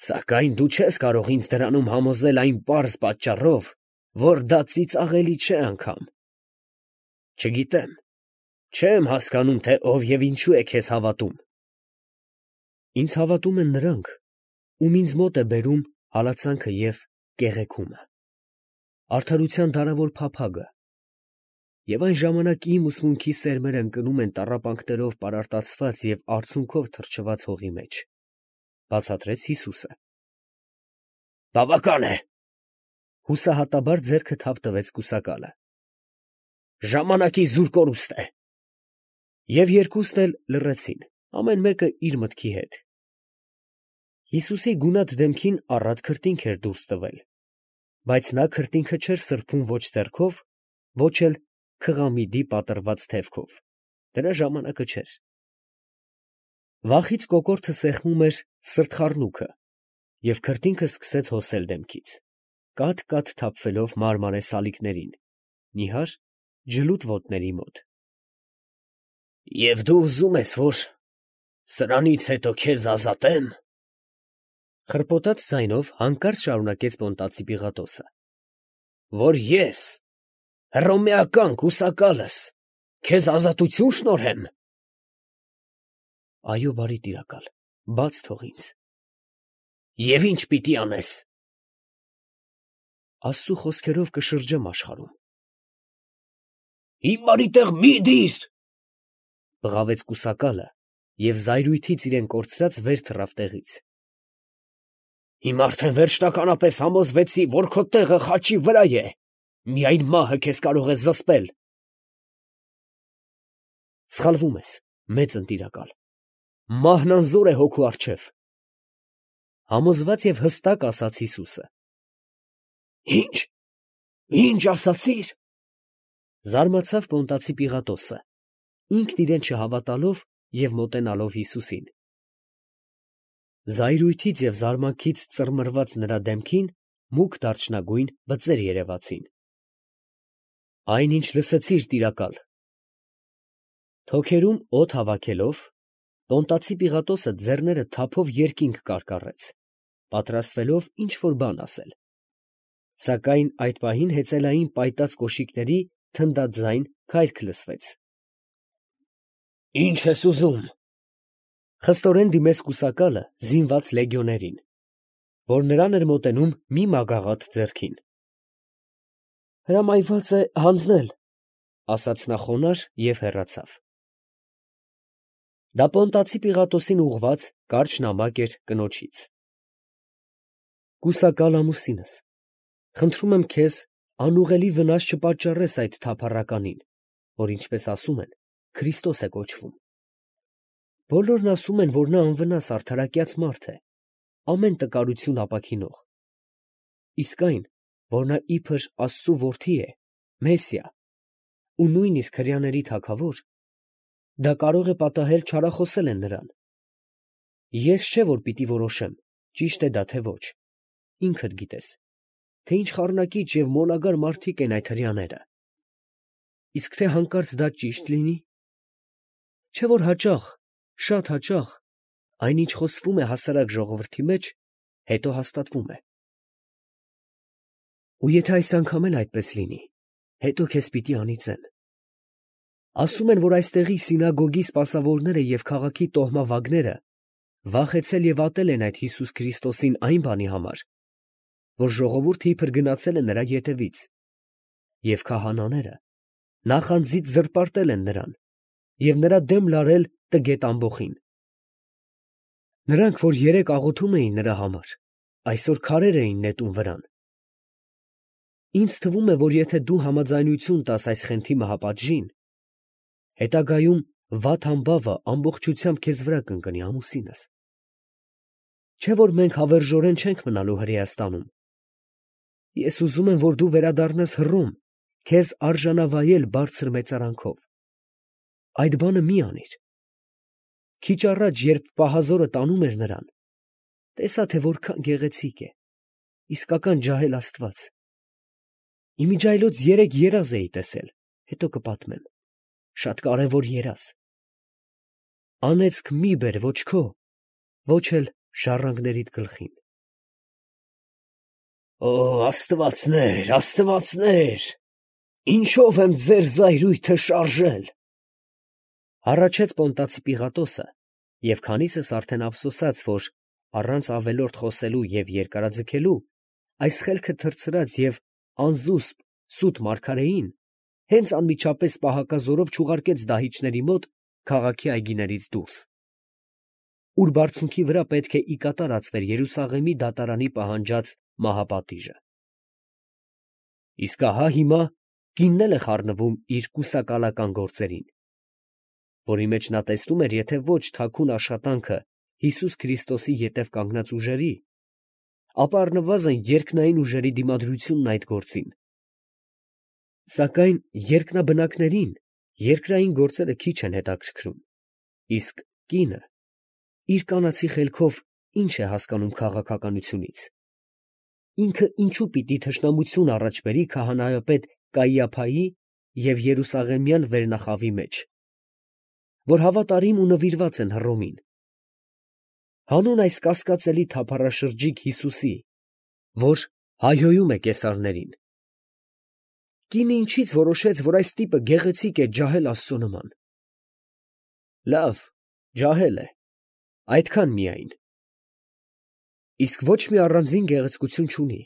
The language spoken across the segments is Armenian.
Սակայն դու չես կարող ինձ դրանում համոզել այն պարզ պատճառով, որ դա ծիծաղելի չէ անգամ։ Չգիտեմ, չեմ հասկանում, թե ով և ինչու է քեզ հավատում։ Ինձ հավատում են նրանք, ում ինձ մոտ է բերում հալածանքը և կեղեքումը, արդարության դարավոր փափագը, և այն ժամանակ իմ ուսմունքի սերմերը ընկնում են տառապանքներով պարարտացված և արցունքով թրջված հողի մեջ, ֊ բացատրեց Հիսուսը։ Բավական է, ֊ հուսահատաբար ձեռքը թափ տվեց կուսակալը, ժամանակի զուր կորուստ է։ Եվ երկուսն էլ լռեցին, ամեն մեկը իր մտքի հետ։ Հիսուսի գունատ դեմքին առատ քրտինք էր դուրս տվել, բայց նա քրտինքը չէր սրբում ոչ ձեռքով, ոչ էլ քղամիդի պատռված թևքով, դրա ժամանակը չէր։ Վախից կոկորդը սեղմում էր սրտխառնուքը, և քրտինքը սկսեց հոսել դեմքից, կաթ֊կաթ թափվելով մարմարե սալիկներին, նիհար ջլուտ ոտների մոտ։ Եվ դու ուզում ես, որ սրանից հետո քեզ ազատեմ, ֊ խռպոտած ձայնով հանկարծ շարունակեց Պոնտացի Պիղատոսը, ֊ որ ես, հռոմեական կուսակալս, քեզ ազատություն շնորհեմ։ Այո, բարի տիրակալ, բաց թող ինձ։ Եվ ի՞նչ պիտի անես։ Աստծու խոսքերով կշրջեմ աշխարհում։ Հիմարի տեղ մի դիր, ֊ բղավեց կուսակալը և զայրույթից իրեն կորցրած վեր թռավ տեղից։ Հիմա արդեն վերջնականապես համոզվեցի, որ քո տեղը խաչի վրա է, միայն մահը քեզ կարող է զսպել։ Սխալվում ես, մեծ ընտիրակալ, մահն անզոր է հոգու առջև, ֊ համոզված և հստակ ասաց Հիսուսը։ Ի՞նչ ասացիր, ֊ զարմացավ Պոնտացի Պիղատոսը, ինքն իրեն չհավատալով և մոտենալով Հիսուսին։ Զայրույթից և զարմանքից ծռմռված նրա դեմքին մուգ դարչնագույն բծեր երևացին։ Այն, ինչ լսեցիր, տիրակալ։ Թոքերում օդ հավաքելով, Պոնտացի Պիղատոսը ձեռները թափով երկինք կարկառեց, պատրաստվելով ինչ֊որ բան ասել, սակայն այդ պահին հեծելային պայտած կոշիկների թնդաձայն քայլք լսվեց։ Ի՞նչ ես ուզում, ֊ խստորեն դիմեց կուսակալը զինված լեգիոներին, որ նրան էր մոտենում մի մագաղաթ ձեռքին։ Հրամայված է հանձնել, ֊ ասաց նա խոնարհ և հեռացավ։ Դա Պոնտացի Պիղատոսին ուղղված կարճ նամակ էր կնոջից։ Կուսակալ ամուսինս, խնդրում եմ քեզ անուղղելի վնաս չպատճառես այդ թափառականին, որ, ինչպես ասում են, Քրիստոս է կոչվում։ Բոլորն ասում են, որ նա անվնաս արդարակյաց մարդ է, ամեն տկարություն ապաքինող, իսկ այն, որ նա իբր Աստծու որդի է, Մեսիա, ու նույնիսկ հրեաների թագավոր, դա կարող է պատահել չարախոսել են նրան։ Ես չէ, որ պիտի որոշեմ, ճիշտ է դա, թե ոչ, ինքդ գիտես, թե ինչ խառնակիչ և մոլագար մարդիկ են այդ հրեաները, իսկ թե հանկարծ դա ճիշտ լինի, չէ՞ որ հաճախ, շատ հաճախ, այն, ինչ խոսվում է հասարակ ժողովրդի մեջ, հետո հաստատվում է։ Ու եթե այս անգամ էլ այդպես լինի, հետո քեզ պիտի անիծեն։ Ասում են, որ այստեղի սինագոգի սպասավորները և քաղաքի տոհմավագները վախեցել և ատել են այդ Հիսուս Քրիստոսին այն բանի համար, որ ժողովուրդը իբր գնացել է նրա ետևից, և քահանաները նախանձից զրպարտել են նրան և նրա դեմ լարել տգետ ամբոխին։ Նրանք, որ երեկ աղոթում էին նրա համար, այսօր քարեր էին նետում վրան։ Ինձ թվում է, որ եթե դու համաձայնություն տաս այս խնդրի մահապատժին, հետագայում վատ համբավը ամբողջությամբ քեզ վրա կընկնի, ամուսինս։ Չէ՞ որ մենք հավերժորեն չենք մնալու Հրեաստանում։ Ես ուզում եմ, որ դու վերադառնաս Հռոմ, քեզ արժանավայել բարձր մեծարանքով։ Այդ բանը մի անիր։ Քիչ առաջ, երբ պահազորը տանում էր նրան, տեսա, թե որքան գեղեցիկ է, իսկական ջահել աստված։ Իմիջիայլոց 3 երազ էի տեսել, հետո կպատմեմ, շատ կարևոր երազ։ Անեծք մի բեր ոչ քո, ոչ էլ ժառանգներիդ գլխին։ Օ, աստվածներ, աստվածներ, ինչով եմ ձեր զայրույթը շարժել։ Հառաչեց Պոնտացի Պիղատոսը, և քանիսս արդեն ափսոսած, որ առանց ավելորդ խոսելու և երկարաձգելու, այս խելքը թռցրած և անզուսպ սուտ մարգարեին հենց անմիջապես պահակազորով չուղարկեց դահիճների մոտ քաղաքի այգիներից դուրս, ուր բարձունքի վրա պետք է ի կատարածվեր Երուսաղեմի դատարանի պահանջած մահապատիժը։ Իսկ ահա հիմա կինն էլ է խառնվում իր կուսակալական գործերին, որի մեջ նա տեսնում էր եթե ոչ թաքուն աշխատանքը Հիսուս Քրիստոսի ետև կանգնած ուժերի, ապա առնվազն երկնային ուժերի դիմադրությունն այդ գործին։ Սակայն երկնաբնակներին երկրային գործերը քիչ են հետաքրքրում, իսկ կինը իր կանացի խելքով ինչ է հասկանում քաղաքականությունից։ Ինքը ինչու պիտի թշնամություն առաջ բերի քահանայապետ Կայիափայի և Երուսաղեմյան վերնախավի մեջ, որ հավատարիմ ու նվիրված են Հռոմին։ Հանուն այս կասկածելի թափառաշրջիկ Հիսուսի, որ հայհոյում է կեսարներին, կինը ինչից որոշեց, որ այս տիպը գեղեցիկ է ջահել Աստծո նման։ Լավ, ջահել է, այդքան միայն, իսկ ոչ մի առանձին գեղեցկություն չունի։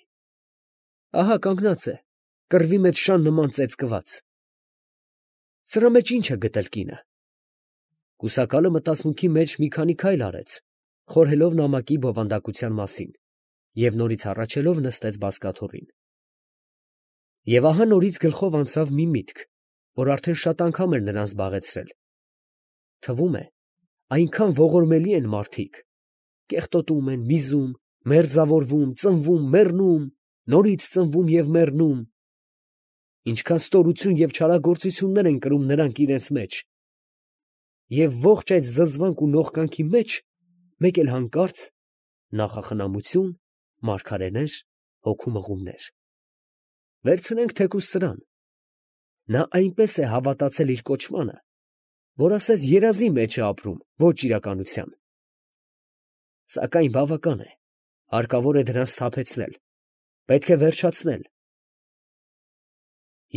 Ահա կանգնած է, կռվի մեջ շան նման ծեծկված։ Սրա մեջ ինչ է գտել կինը։ Կուսակալը մտածմունքի մեջ մի քանի քայլ արեց, խորհելով նամակի բովանդակության մասին, և նորից հառաչելով նստեց բազկաթոռին։ Եվ ահա նորից գլխով անցավ մի միտք, որ արդեն շատ անգամ էր նրան զբաղեցրել. թվում է, այնքան ողորմելի են մարդիկ, կեղտոտում են, միզում, մերձավորվում, ծնվում, մեռնում, նորից ծնվում և մեռնում, ինչքան ստորություն և չարագործություններ են կրում նրանք իրենց մեջ, և ողջ այդ զզվանք ու նողկանքի մեջ մեկ էլ հանկարծ նախախնամություն, մարգարեներ, հոգու մղումներ։ Վերցնենք թեկուզ սրան. նա այնպես է հավատացել իր կոչմանը, որ ասես երազի մեջ է ապրում, ոչ իրականության։ Սակայն բավական է, հարկավոր է դրան սթափեցնել, պետք է վերջացնել։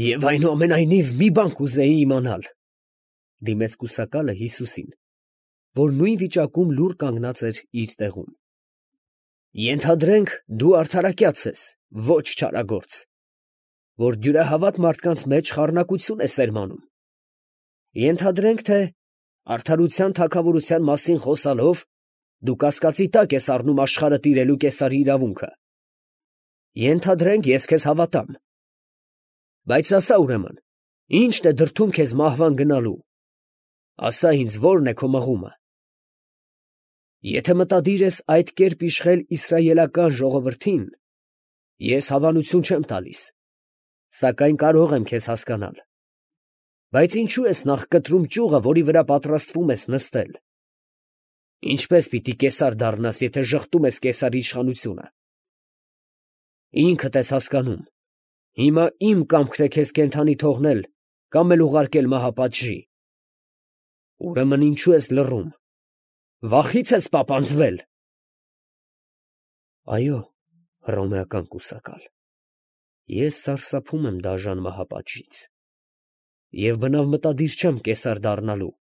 Եվ այնուամենայնիվ մի բան կուզեի իմանալ, դիմեց կուսակալը Հիսուսին, որ նույն վիճակում լուռ կանգնած էր իր տեղում։ Ենթադրենք, դու արդարակյաց ես, ոչ չարագործ, որ դյուրահավատ մարդկանց մեջ խառնակություն է սերմանում։ Ենթադրենք, թե արդարության թագավորության մասին խոսալով դու կասկածի տակ ես առնում աշխարհը տիրելու կեսարի իրավունքը։ Ենթադրենք, ես քեզ հավատամ։ Բայց ասա ուրեմն, ի՞նչն է դրդում քեզ մահվան գնալու։ Ասա ինձ, ո՞րն է քո մղումը։ Եթե մտադիր ես այդ կերպ իշխել իսրայելական ժողովրդին, ես հավանություն չեմ տալիս, սակայն կարող եմ քեզ հասկանալ։ Բայց ինչու ես նախ կտրում ճյուղը, որի վրա պատրաստվում ես նստել։ Ինչպես պիտի կեսար դառնաս, եթե ժխտում ես կեսարի իշխանությունը։ Ինքդ ես հասկանում, հիմա իմ կամքն է քեզ կենդանի թողնել կամ էլ ուղարկել մահապատժի։ Ուրեմն ինչու ես լռում, վախի՞ց ես պապանձվել։ Այո, հռոմեական կուսակալ, ես սարսափում եմ դաժան մահապատժից և բնավ մտադիր չեմ կեսար դառնալու։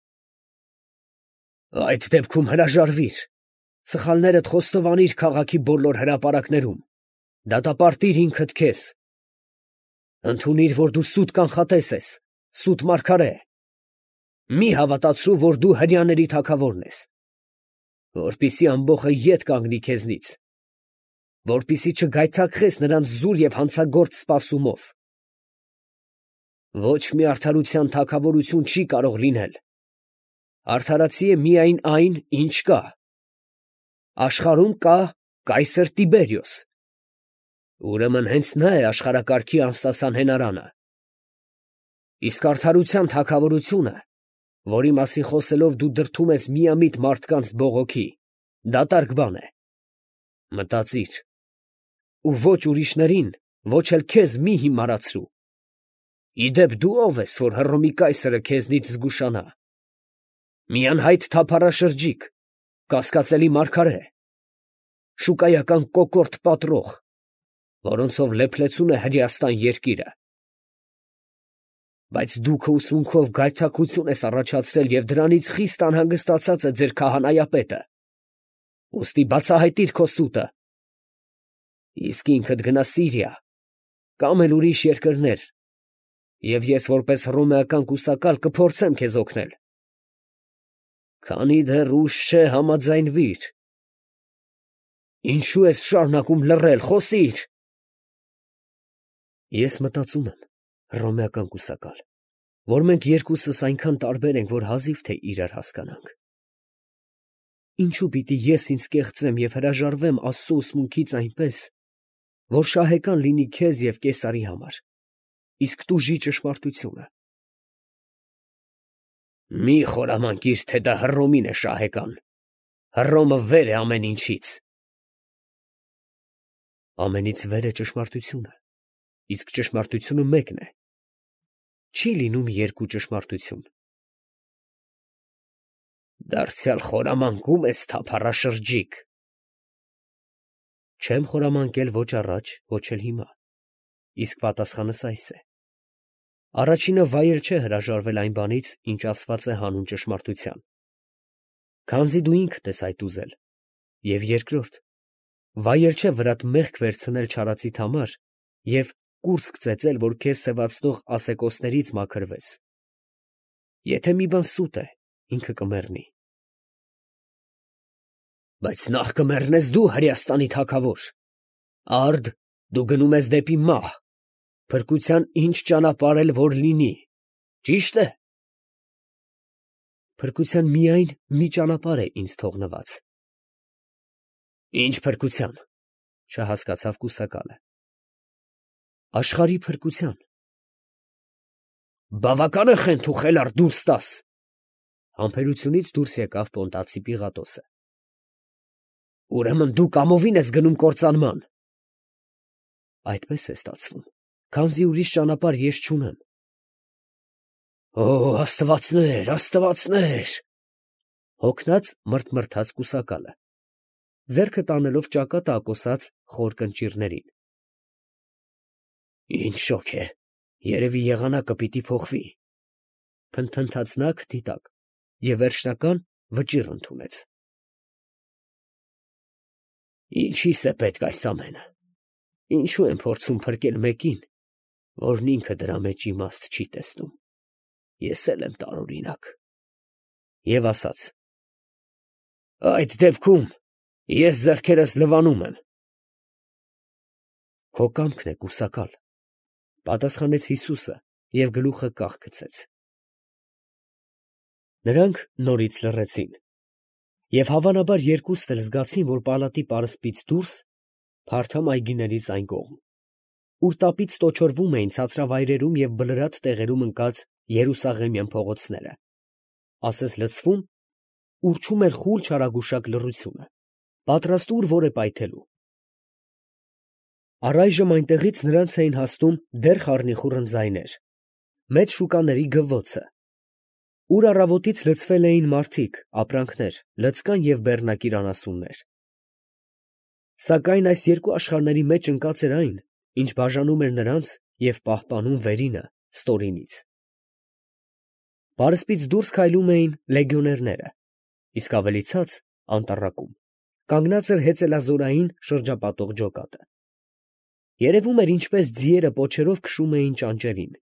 Այդ դեպքում հրաժարվիր, սխալներդ խոստովանիր քաղաքի բոլոր հրապարակներում, դատապարտիր ինքդ քեզ։ Ընդունիր, որ դու սուտ կանխատես ես, սուտ մարգարե։ Մի հավատացրու, որ դու հրեաների թագավորն ես, որպեսզի ամբոխը ետ կանգնի քեզնից, որպեսզի չգայթակղես նրանց զուր և հանցագործ սպասումով։ Ոչ մի արդարության թագավորություն չի կարող լինել։ Արդարացի է միայն այն, ինչ կա։ Աշխարհում կա կայսր Տիբերիոս։ Ուրեմն հենց նա է աշխարհակարգի անսասան հենարանը։ Իսկ արդարության թագավորությունը, որի մասին խոսելով դու դրդում ես միամիտ մարդկանց բողոքի, դատարկ բան է։ Մտածիր, ու ոչ ուրիշներին, ոչ էլ քեզ մի հիմարացրու։ Ի դեպ դու ո՞վ ես, որ Հռոմի կայսրը քեզնից զգուշանա։ Մի անհայտ թափառաշրջիկ, կասկածելի մարգարե, շուկայական կոկորդ պատրող, որոնցով լեփլեցուն է Հրեաստան երկիրը։ Բայց դու քո ուսմունքով գայթակղություն ես առաջացրել և դրանից խիստ անհանգստացած է ձեր քահանայապետը։ Ուստի բացահայտիր քո սուտը։ Իսկ ինքդ գնա Սիրիա կամ էլ ուրիշ երկրներ, և ես որպես հռոմեական կուսակալ կփորձեմ քեզ օգնել։ Քանի դեռ ուշ չէ, համաձայնվիր։ Ինչու ես շարունակում լռել, խոսիր։ Ես մտածում եմ, հռոմեական կուսակալ, որ մենք երկուսս այնքան տարբեր ենք, որ հազիվ թե իրար հասկանանք։ Ինչու պիտի ես ինձ կեղծեմ և հրաժարվեմ Աստծո ուսմունքից այնպես, որ շահեկան լինի քեզ և Կեսարի համար, իսկ տուժի ճշմարտությունը։ Մի խորամանկիր, թե դա Հռոմին է շահեկան։ Հռոմը վեր է ամեն ինչից։ Ամենից վեր է ճշմարտությունը, իսկ ճշմարտությունը մեկն է։ Չի լինում երկու ճշմարտություն։ Դարձյալ խորամանկում ես, թափառաշրջիկ։ Չեմ խորամանկել ոչ առաջ, ոչ էլ հիմա, իսկ պատասխանս այս է. առաջինը վայել չէ հրաժարվել այն բանից, ինչ ասված է հանուն ճշմարտության, քանզի դու ինքդ ես այդ ուզել, և երկրորդ, վայել չէ վրատ մեղք վերցնել չարացիդ համար և կուրծք ծեծել, որ քեզ սևացնող ասեկոսներից մաքրվես։ Եթե մի բան սուտ է, ինքը կմեռնի։ Բայց նախ կմեռնես դու, Հրեաստանի թագավոր։ Արդ դու գնում ես դեպի մահ, փրկության ինչ ճանապարհ էլ որ լինի, ճի՞շտ է։ Փրկության միայն մի ճանապարհ է ինձ թողնված։ Ինչ փրկության, չհասկացավ կուսակալը։ Աշխարհի փրկության։ Բավական է խենթ ու խելառ դուրս տաս։ Համբերությունից դուրս եկավ Պոնտացի Պիղատոսը։ Ուրեմն դու կամովին ես գնում կործանման։ Այդպես է ստացվում, քանզի ուրիշ ճանապարհ ես չունեմ։ Օ, աստվածներ, աստվածներ, հոգնած մռթմռթաց կուսակալը, ձեռքը տանելով ճակատը ակոսած խոր կնճիռներին։ Ինչ շոգ է, երևի եղանակը պիտի փոխվի, փնթփնթաց նա քթի տակ և վերջնական վճիռ ընդունեց։ Ինչի՞ս է պետք այս ամենը։ Ինչու են փորձում փրկել մեկին, որն ինքը դրա մեջ իմաստ չի տեսնում։ Ես էլ եմ տարօրինակ։ Եվ ասաց. այդ դեպքում ես ձեռքերս լվանում եմ։ Քո կամքն է, կուսակալ, պատասխանեց Հիսուսը և գլուխը կախ գցեց։ Նրանք նորից լռեցին, և հավանաբար երկուստ էլ զգացին, որ պալատի պարսպից դուրս, փարթամ այգիներից այն կողմ, ուր տապից տոչորվում էին ցածրավայրերում և բլրատ տեղերում ընկած երուսաղեմյան փողոցները, ասես լցվում, ուռչում էր խուլ չարագուշակ լռությունը, պատրաստ ուր որ է պայթելու։ Առայժմ այնտեղից նրանց էին հասնում դեռ խառնիխուռն ձայներ, մեծ շուկաների գվվոցը, ուր առավոտից լցվել էին մարդիկ, ապրանքներ, լծկան և բեռնակիր անասուններ։ Սակայն այս երկու աշխարհների մեջ ընկած էր այն, ինչ բաժանում էր նրանց և պահպանում վերինը ստորինից։ Պարսպից դուրս քայլում էին լեգիոներները, իսկ ավելի ցած, անտառակում, կանգնած էր հեծելազորային շրջապատող ջոկատը։ Երևում էր, ինչպես ձիերը պոչերով քշում էին ճանճերին։